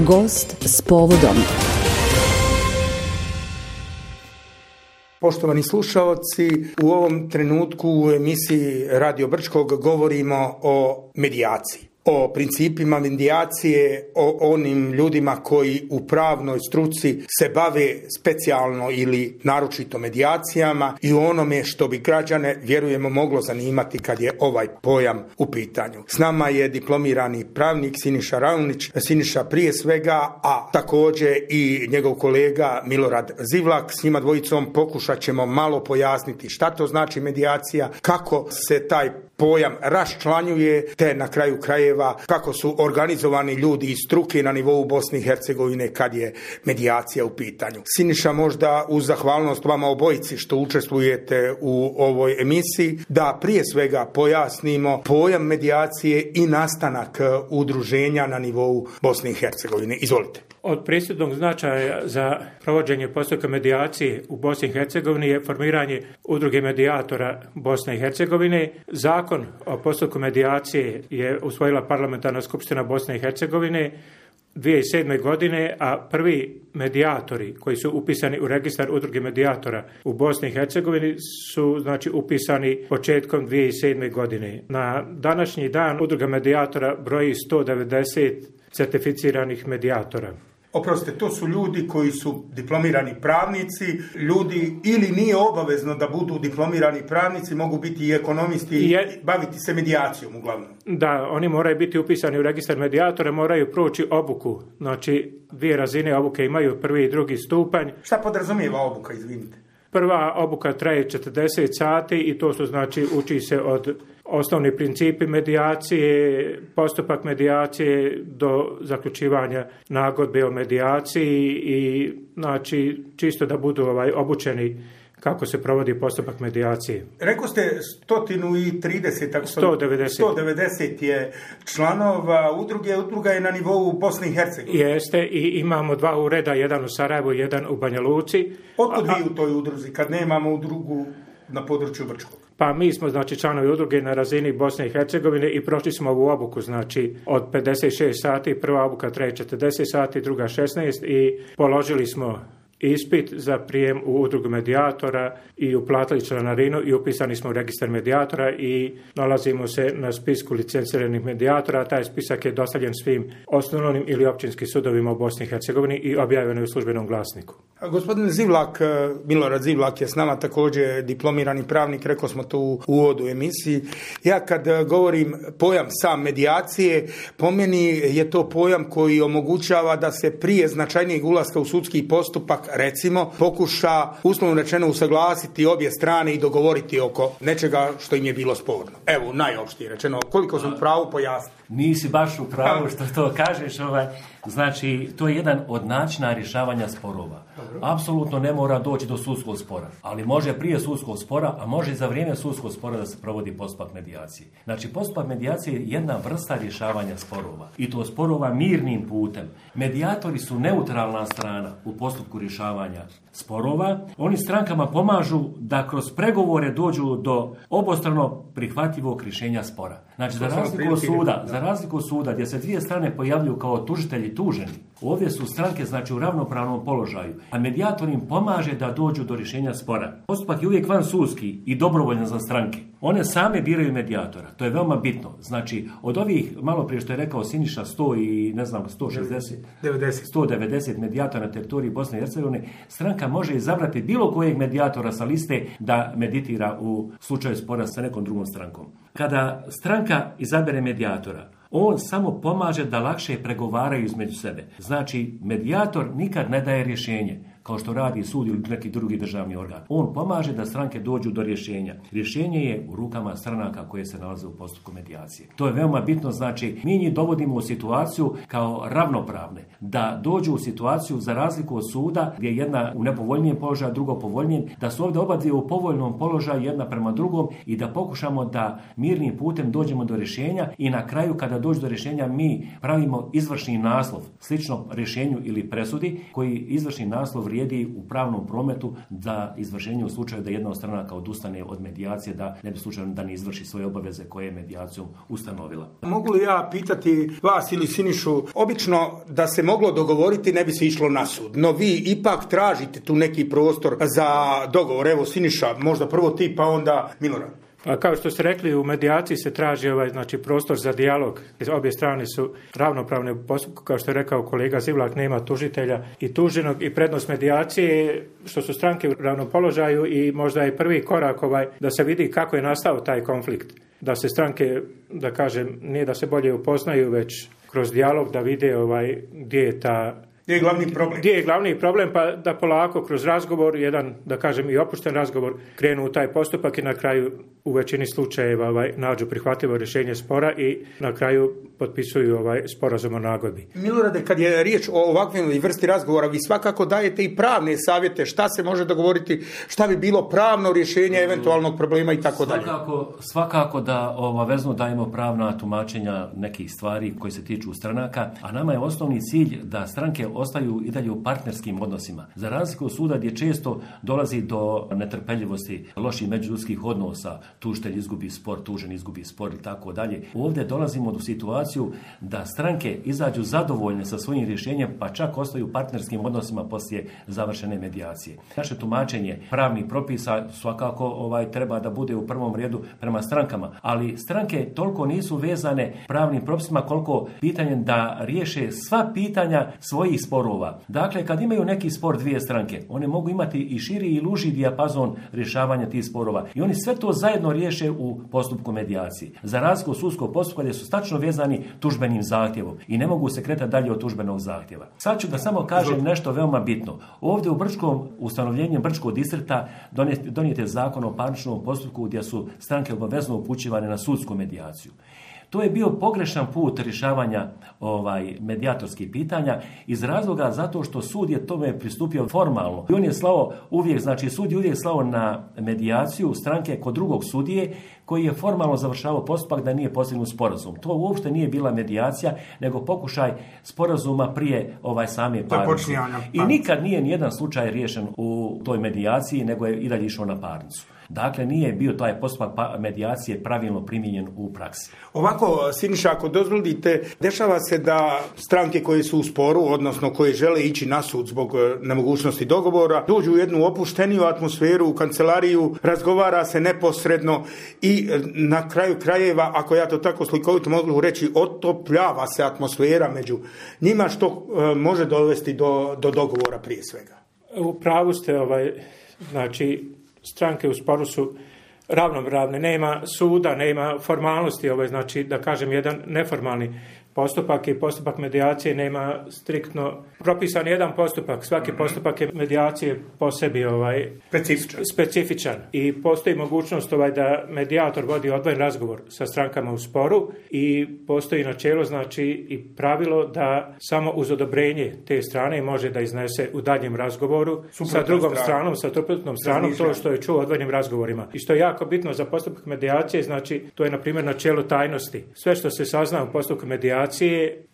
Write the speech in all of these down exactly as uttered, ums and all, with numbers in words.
Gost s povodom. Poštovani slušaoci, u ovom trenutku u emisiji Radio Brčkog govorimo o medijaciji. O principima medijacije, o onim ljudima koji u pravnoj struci se bave specijalno ili naročito medijacijama i o onome što bi građane, vjerujemo, moglo zanimati kad je ovaj pojam u pitanju. S nama je diplomirani pravnik Siniša Raunić. Siniša prije svega, a također i njegov kolega Milorad Zivlak. S njima dvojicom pokušat ćemo malo pojasniti šta to znači medijacija, kako se taj pojam raščlanjuje, te na kraju krajeva kako su organizovani ljudi iz struke na nivou Bosne i Hercegovine kad je medijacija u pitanju. Siniša, možda uz zahvalnost vama obojici što učestvujete u ovoj emisiji, da prije svega pojasnimo pojam medijacije i nastanak udruženja na nivou Bosne i Hercegovine. Izvolite. Od presudnog značaja za provođenje postupka medijacije u Bosni i Hercegovini je formiranje udruge medijatora Bosne i Hercegovine. Zakon o postupku medijacije je usvojila Parlamentarna skupština Bosne i Hercegovine dvije tisuće sedme. godine, a prvi medijatori koji su upisani u registar udruge medijatora u Bosni i Hercegovini su znači upisani početkom dvije tisuće sedme. godine. Na današnji dan udruga medijatora broji sto devedeset certificiranih medijatora. Oprostite, to su ljudi koji su diplomirani pravnici, ljudi ili nije obavezno da budu diplomirani pravnici, mogu biti i ekonomisti i je, baviti se medijacijom uglavnom. Da, oni moraju biti upisani u registar medijatora, moraju proći obuku, znači dvije razine obuke imaju, prvi i drugi stupanj. Šta podrazumijeva obuka, izvinite? Prva obuka traje četrdeset sati i to su znači uči se od osnovni principi medijacije, postupak medijacije do zaključivanja nagodbe o medijaciji i znači čisto da budu ovaj obučeni kako se provodi postupak medijacije. Rekao ste sto trideset, sto devedeset. sto devedeset je članova udruge, udruga je na nivou Bosne i Hercegovine. Jeste, i imamo dva ureda, jedan u Sarajevu, jedan u Banja Luci. Otkud vi u toj udruzi kad nemamo udrugu na području Brčkog? Pa mi smo znači članovi udruge na razini Bosne i Hercegovine i prošli smo ovu obuku, znači od pedeset šest sati, prva obuka traje četrdeset sati, druga šesnaest i položili smo ispit za prijem u udrugu medijatora i uplatili članarinu i upisani smo u registar medijatora i nalazimo se na spisku licenciranih medijatora. Taj spisak je dostavljen svim osnovnim ili općinskim sudovima u Bosni i Hercegovini i objavljen je u službenom glasniku. A gospodin Zivlak, Milorad Zivlak je s nama također diplomirani pravnik, rekao smo to u uvodu emisiji. Ja kad govorim pojam sam medijacije, po meni je to pojam koji omogućava da se prije značajnijeg ulaska u sudski postupak, recimo, pokuša uslovno rečeno usaglasiti obje strane i dogovoriti oko nečega što im je bilo sporno. Evo, najopštije rečeno, koliko sam u pravu pojasniti. Nisi baš u pravu što to kažeš, ovaj, znači to je jedan od načina rješavanja sporova. Dobro. Apsolutno ne mora doći do sudskog spora, ali može prije sudskog spora, a može i za vrijeme sudskog spora da se provodi postupak medijacije. Znači postupak medijacije je jedna vrsta rješavanja sporova i to sporova mirnim putem. Medijatori su neutralna strana u postupku rješavanja sporova. Oni strankama pomažu da kroz pregovore dođu do obostrano prihvatljivog rješenja spora. Znači za razliku od suda, za razliku od suda gdje se dvije strane pojavljuju kao tužitelji tuženi, ovdje su stranke znači u ravnopravnom položaju, a medijator im pomaže da dođu do rješenja spora. Postupak je uvijek vansudski i dobrovoljan za stranke. One same biraju medijatora. To je veoma bitno. Znači, od ovih, malo prije što je rekao Siniša, sto i ne znam, sto šezdeset, devedeset. sto devedeset medijatora na teritoriji Bosne i Hercegovine, stranka može izabrati bilo kojeg medijatora sa liste da meditira u slučaju spora sa nekom drugom strankom. Kada stranka izabere medijatora, on samo pomaže da lakše pregovaraju između sebe. Znači, medijator nikad ne daje rješenje, kao što radi sud ili neki drugi državni organ. On pomaže da stranke dođu do rješenja. Rješenje je u rukama stranaka koje se nalaze u postupku medijacije. To je veoma bitno, znači mi njih dovodimo u situaciju kao ravnopravne, da dođu u situaciju za razliku od suda gdje je jedna u nepovoljnijem položaju, drugo povoljnijem, da su ovdje oba dvije u povoljnom položaju jedna prema drugom i da pokušamo da mirnim putem dođemo do rješenja i na kraju kada dođe do rješenja mi pravimo izvršni naslov slično rješenju ili presudi koji izvršni naslov vrijedi u pravnom prometu za izvršenje u slučaju da jedna od stranaka odustane od medijacije, da ne bi slučajno da ne izvrši svoje obaveze koje je medijacijom ustanovila. Mogu li ja pitati vas ili Sinišu, obično da se moglo dogovoriti ne bi se išlo na sud, no vi ipak tražite tu neki prostor za dogovor. Evo Siniša, možda prvo ti pa onda Milorad. A kao što ste rekli, u medijaciji se traži ovaj, znači, prostor za dijalog. Obje strane su ravnopravne u postupku, kao što je rekao kolega Zivlak, nema tužitelja i tuženog, i prednost medijacije što su stranke u ravnom položaju i možda je prvi korak ovaj, da se vidi kako je nastao taj konflikt. Da se stranke, da kažem, nije da se bolje upoznaju, već kroz dijalog da vide ovaj, gdje je ta Gdje je glavni problem? Gdje je glavni problem, pa da polako kroz razgovor, jedan, da kažem, i opušten razgovor, krenu u taj postupak i na kraju u većini slučajeva ovaj, nađu prihvatljivo rješenje spora i na kraju potpisuju ovaj sporazum o nagodbi. Milorade, kad je riječ o ovakvoj vrsti razgovora, vi svakako dajete i pravne savjete šta se može dogovoriti, šta bi bilo pravno rješenje eventualnog problema i tako dalje. Svakako, svakako da obavezno dajemo pravna tumačenja nekih stvari koji se tiču stranaka, a nama je osnovni cilj da stranke ostaju i dalje u partnerskim odnosima. Za razliku od suda gdje često dolazi do netrpeljivosti, loših međuljudskih odnosa, tužitelj izgubi spor, tužen izgubi spor i tako dalje. Ovdje dolazimo do situaciju da stranke izađu zadovoljne sa svojim rješenjem, pa čak ostaju u partnerskim odnosima poslije završene medijacije. Naše tumačenje pravnih propisa svakako ovaj treba da bude u prvom redu prema strankama, ali stranke toliko nisu vezane pravnim propisima koliko pitanjem da riješe sva pitanja svojih sporova. Dakle, kad imaju neki spor dvije stranke, one mogu imati i širi i luži dijapazon rješavanja tih sporova. I oni sve to zajedno riješe u postupku medijacije. Za razliku od sudskog postupka gdje su stačno vezani tužbenim zahtjevom i ne mogu se kretati dalje od tužbenog zahtjeva. Sad ću da samo kažem nešto veoma bitno. Ovdje u Brčkom, ustanovljenjem Brčkog distrikta donijet je zakon o parničnom postupku gdje su stranke obavezno upućivane na sudsku medijaciju. To je bio pogrešan put rješavanja ovaj, medijatorskih pitanja iz razloga zato što sud je tome pristupio formalno. I on je slao uvijek, znači sud je uvijek slao na medijaciju stranke kod drugog sudije koji je formalno završavao postupak da nije postignut sporazum. To uopšte nije bila medijacija, nego pokušaj sporazuma prije ovaj same parnice. I nikad nije nijedan slučaj riješen u toj medijaciji, nego je i dalje išao na parnicu. Dakle, nije bio taj postupak medijacije pravilno primijenjen u praksi. Ovako, Siniša, ako dozvolite, dešava se da stranke koje su u sporu, odnosno koje žele ići na sud zbog nemogućnosti dogovora, dođu u jednu opušteniju atmosferu u kancelariju, razgovara se neposredno i na kraju krajeva, ako ja to tako slikovito mogu reći, otopljava se atmosfera među njima, što e, može dovesti do, do dogovora prije svega. U pravu ste, ovaj, znači, stranke u sporu su ravnopravne, nema suda, nema formalnosti, ovaj, znači da kažem jedan neformalni postupak i postupak medijacije nema striktno propisan jedan postupak. Svaki postupak je medijacije po sebi ovaj, specifičan. specifičan i postoji mogućnost ovaj, da medijator vodi odvojen razgovor sa strankama u sporu i postoji načelo, znači i pravilo da samo uz odobrenje te strane može da iznese u daljem razgovoru suprotnom sa drugom strana. stranom, sa suprotnom stranom to što je čuo u odvojenim razgovorima. I što je jako bitno za postupak medijacije, znači to je na primjer načelo tajnosti. Sve što se sazna u postupku medijacije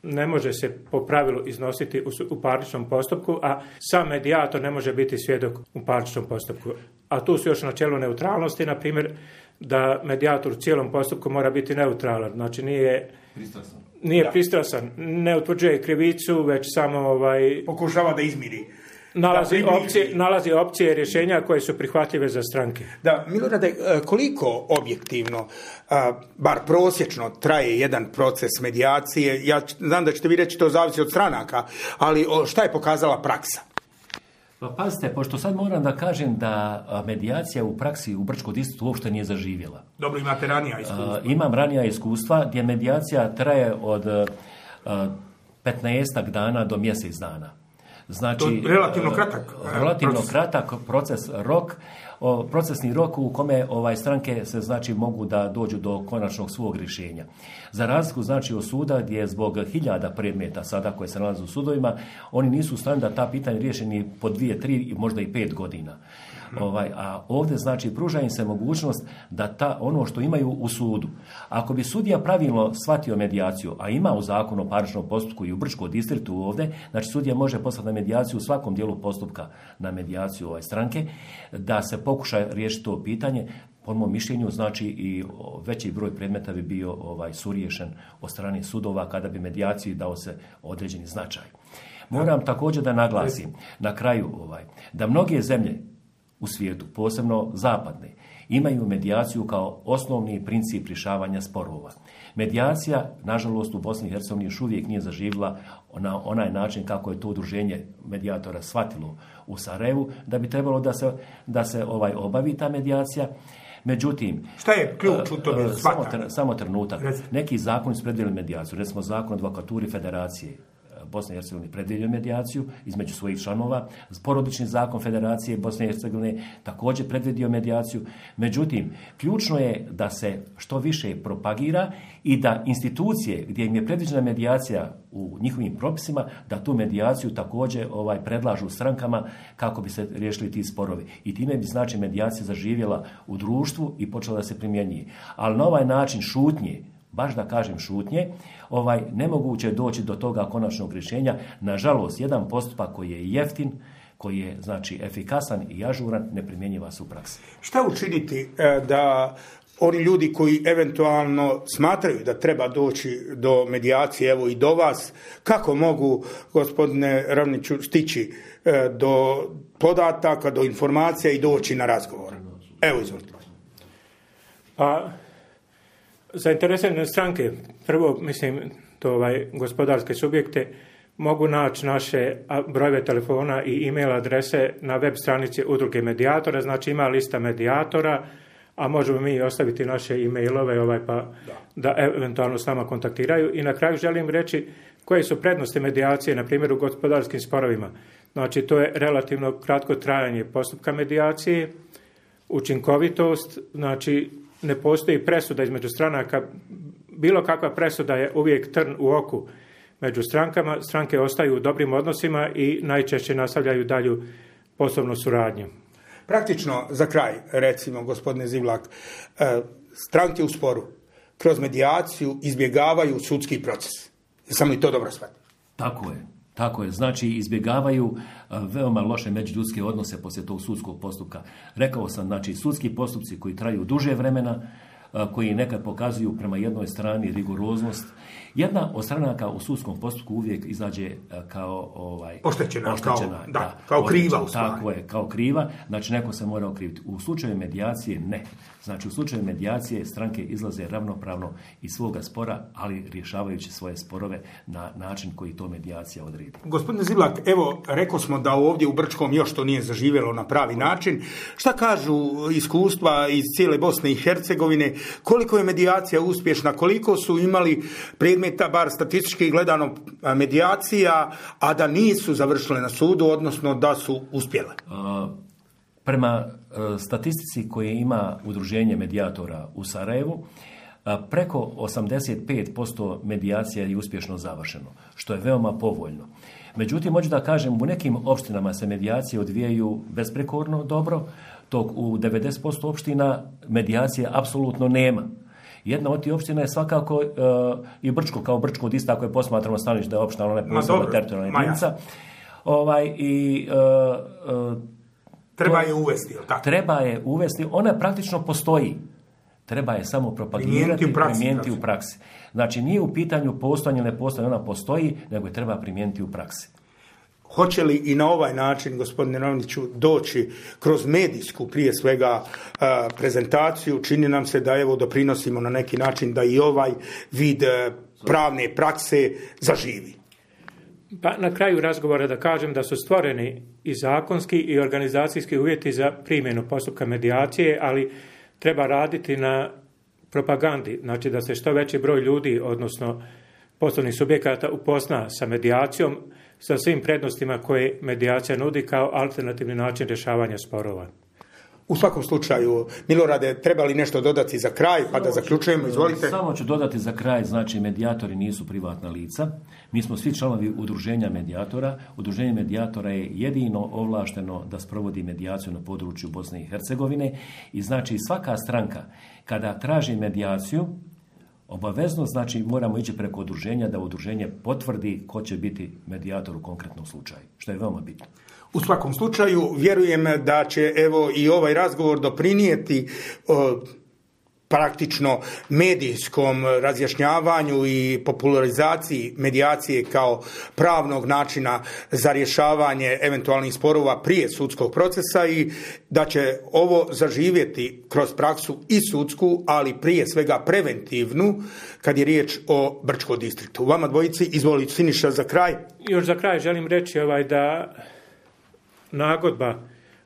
ne može se po pravilu iznositi u, u parničnom postupku, a sam medijator ne može biti svjedok u parničnom postupku. A tu su još načelo neutralnosti, na primjer da medijator u cijelom postupku mora biti neutralan, znači nije pristrasan, nije pristrasan, ne utvrđuje krivicu, već samo ovaj, pokušava da izmiri. Nalazi opcije, nalazi opcije rješenja koje su prihvatljive za stranke. Da, Milorade, koliko objektivno, bar prosječno, traje jedan proces medijacije? Ja znam da ćete vi reći to zavisi od stranaka, ali šta je pokazala praksa? Pa pazite, pošto sad moram da kažem da medijacija u praksi u Brčkom distriktu uopšte nije zaživjela. Dobro, imate ranija iskustva. Imam ranija iskustva gdje medijacija traje od petnaestak dana do mjesec dana. Znači, to relativno kratak. Relativno proces. kratak proces, rok, o, procesni rok u kome ovaj stranke se znači mogu da dođu do konačnog svog rješenja. Za razliku znači od suda gdje zbog hiljada predmeta sada koje se nalaze u sudovima, oni nisu u stanju da ta pitanja riješeni po dvije, tri i možda i pet godina. Ovaj, a ovdje znači pruža im se mogućnost da ta, ono što imaju u sudu. Ako bi sudija pravilno shvatio medijaciju, a ima u zakonu o parničnom postupku i u Brčkom distriktu ovdje, znači sudija može poslati na medijaciju u svakom dijelu postupka na medijaciju ovaj stranke, da se pokuša riješiti to pitanje. Po mom mišljenju, znači i veći broj predmeta bi bio ovaj suriješen od strane sudova kada bi medijaciji dao se određeni značaj. Moram također da naglasim na kraju ovaj, da mnoge zemlje u svijetu, posebno zapadne, imaju medijaciju kao osnovni princip rješavanja sporova. Medijacija, nažalost, u Bosni i Hercegovini još uvijek nije zaživjela na onaj način kako je to udruženje medijatora shvatilo u Sarajevu, da bi trebalo da se, da se ovaj obavi ta medijacija. Međutim, šta je ključ u tome? Samo, samo trenutak. Neki zakoni su predvidjeli medijaciju. Recimo zakon o advokaturi Federacije Bosne i Hercegovine predvidio medijaciju između svojih članova. Porodični zakon Federacije Bosne i Hercegovine također predvidio medijaciju. Međutim, ključno je da se što više propagira i da institucije gdje im je predviđena medijacija u njihovim propisima, da tu medijaciju također ovaj, predlažu strankama kako bi se riješili ti sporovi. I time bi znači medijacija zaživjela u društvu i počela da se primjenjuje. Ali na ovaj način šutnje, baš da kažem šutnje, ovaj, nemoguće je doći do toga konačnog rješenja. Nažalost, jedan postupak koji je jeftin, koji je znači efikasan i ažuran, ne primjenjiva se u praksi. Šta učiniti da oni ljudi koji eventualno smatraju da treba doći do medijacije, evo i do vas, kako mogu, gospodine Ravniću, stići do podataka, do informacija i doći na razgovor? Evo, izvolite. Pa, zainteresirane stranke, prvo, mislim, to ovaj, gospodarske subjekte, mogu naći naše brojeve telefona i e-mail adrese na web stranici Udruge medijatora, znači ima lista medijatora, a možemo mi ostaviti naše e-mailove ovaj, pa da. da eventualno s nama kontaktiraju. I na kraju želim reći koje su prednosti medijacije, na primjer u gospodarskim sporovima. Znači, to je relativno kratko trajanje postupka medijacije, učinkovitost, znači ne postoji presuda između stranaka, bilo kakva presuda je uvijek trn u oku među strankama, stranke ostaju u dobrim odnosima i najčešće nastavljaju dalju poslovnu suradnju. Praktično, za kraj, recimo, gospodine Zivlak, stranke u sporu kroz medijaciju izbjegavaju sudski proces. Samo i to dobro shvatim. Tako je. Tako je, znači izbjegavaju veoma loše međuljudske odnose poslije tog sudskog postupka. Rekao sam, znači sudski postupci koji traju duže vremena, koji nekad pokazuju prema jednoj strani rigoroznost. Jedna od stranaka u sudskom postupku uvijek izađe kao ovaj, oštećena, oštećena kao, da, kao kriva u stvari. Tako je, kao kriva, znači neko se mora okriviti. U slučaju medijacije ne. Znači u slučaju medijacije stranke izlaze ravnopravno iz svoga spora, ali rješavajući svoje sporove na način koji to medijacija odredi. Gospodine Zivlak, evo, rekao smo da ovdje u Brčkom još to nije zaživjelo na pravi način. Šta kažu iskustva iz cijele Bosne i Hercegovine? Koliko je medijacija uspješna? Koliko su imali predmeta, bar statistički gledano, medijacija, a da nisu završile na sudu, odnosno da su uspjele? Uh, prema uh, statistici koje ima Udruženje medijatora u Sarajevu, uh, preko osamdeset pet posto medijacija je uspješno završeno, što je veoma povoljno. Međutim, hoću da kažem, u nekim opštinama se medijacije odvijaju besprekorno dobro, dok u devedeset posto opština medijacije apsolutno nema. Jedna od tih opština je svakako uh, i Brčko, kao Brčko od ista, ako je posmatramo staniš da je opština, ona je posebna teritorijalna jedinica. Ovaj, i, uh, uh, treba to, je uvesti, ili tako? Treba je uvesti, ona praktično postoji. Treba je samo propagirati i primijeniti u praksi. Znači, nije u pitanju postojanje ili ne postojanje, ona postoji, nego je treba primijeniti u praksi. Hoće li i na ovaj način, gospodine Ravniću, doći kroz medijsku, prije svega, prezentaciju? Čini nam se da evo doprinosimo na neki način da i ovaj vid pravne prakse zaživi. Pa na kraju razgovora da kažem da su stvoreni i zakonski i organizacijski uvjeti za primjenu postupka medijacije, ali treba raditi na propagandi, znači da se što veći broj ljudi, odnosno poslovnih subjekata, upozna sa medijacijom, sa svim prednostima koje medijacija nudi kao alternativni način rješavanja sporova. U svakom slučaju, Milorade, treba li nešto dodati za kraj, pa da zaključujemo, izvolite. Samo ću dodati za kraj, znači medijatori nisu privatna lica. Mi smo svi članovi udruženja medijatora. Udruženje medijatora je jedino ovlašteno da sprovodi medijaciju na području Bosne i Hercegovine i znači svaka stranka kada traži medijaciju, obavezno znači moramo ići preko udruženja da udruženje potvrdi ko će biti medijator u konkretnom slučaju, što je veoma bitno. U svakom slučaju, vjerujem da će evo i ovaj razgovor doprinijeti o, praktično medijskom razjašnjavanju i popularizaciji medijacije kao pravnog načina za rješavanje eventualnih sporova prije sudskog procesa i da će ovo zaživjeti kroz praksu i sudsku, ali prije svega preventivnu kad je riječ o Brčkom distriktu. Vama dvojici, izvolite Siniša za kraj. Još za kraj želim reći ovaj da nagodba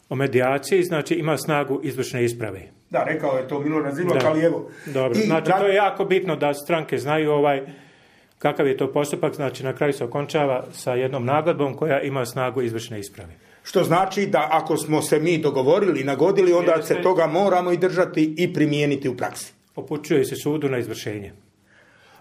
o medijaciji znači ima snagu izvršne isprave. Da, rekao je to Milorad Zilok, ali evo. Dobro, I, znači da... to je jako bitno da stranke znaju ovaj kakav je to postupak, znači na kraju se okončava sa jednom nagodbom koja ima snagu izvršne isprave. Što znači da ako smo se mi dogovorili, nagodili, onda Jeste, se toga moramo i držati i primijeniti u praksi. Upućuje se sudu na izvršenje.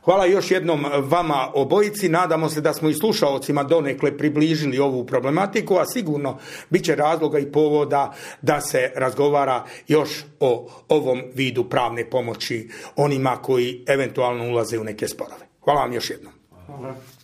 Hvala još jednom vama obojici. Nadamo se da smo i slušaocima donekle približili ovu problematiku, a sigurno bit će razloga i povoda da se razgovara još o ovom vidu pravne pomoći onima koji eventualno ulaze u neke sporove. Hvala vam još jednom. Hvala.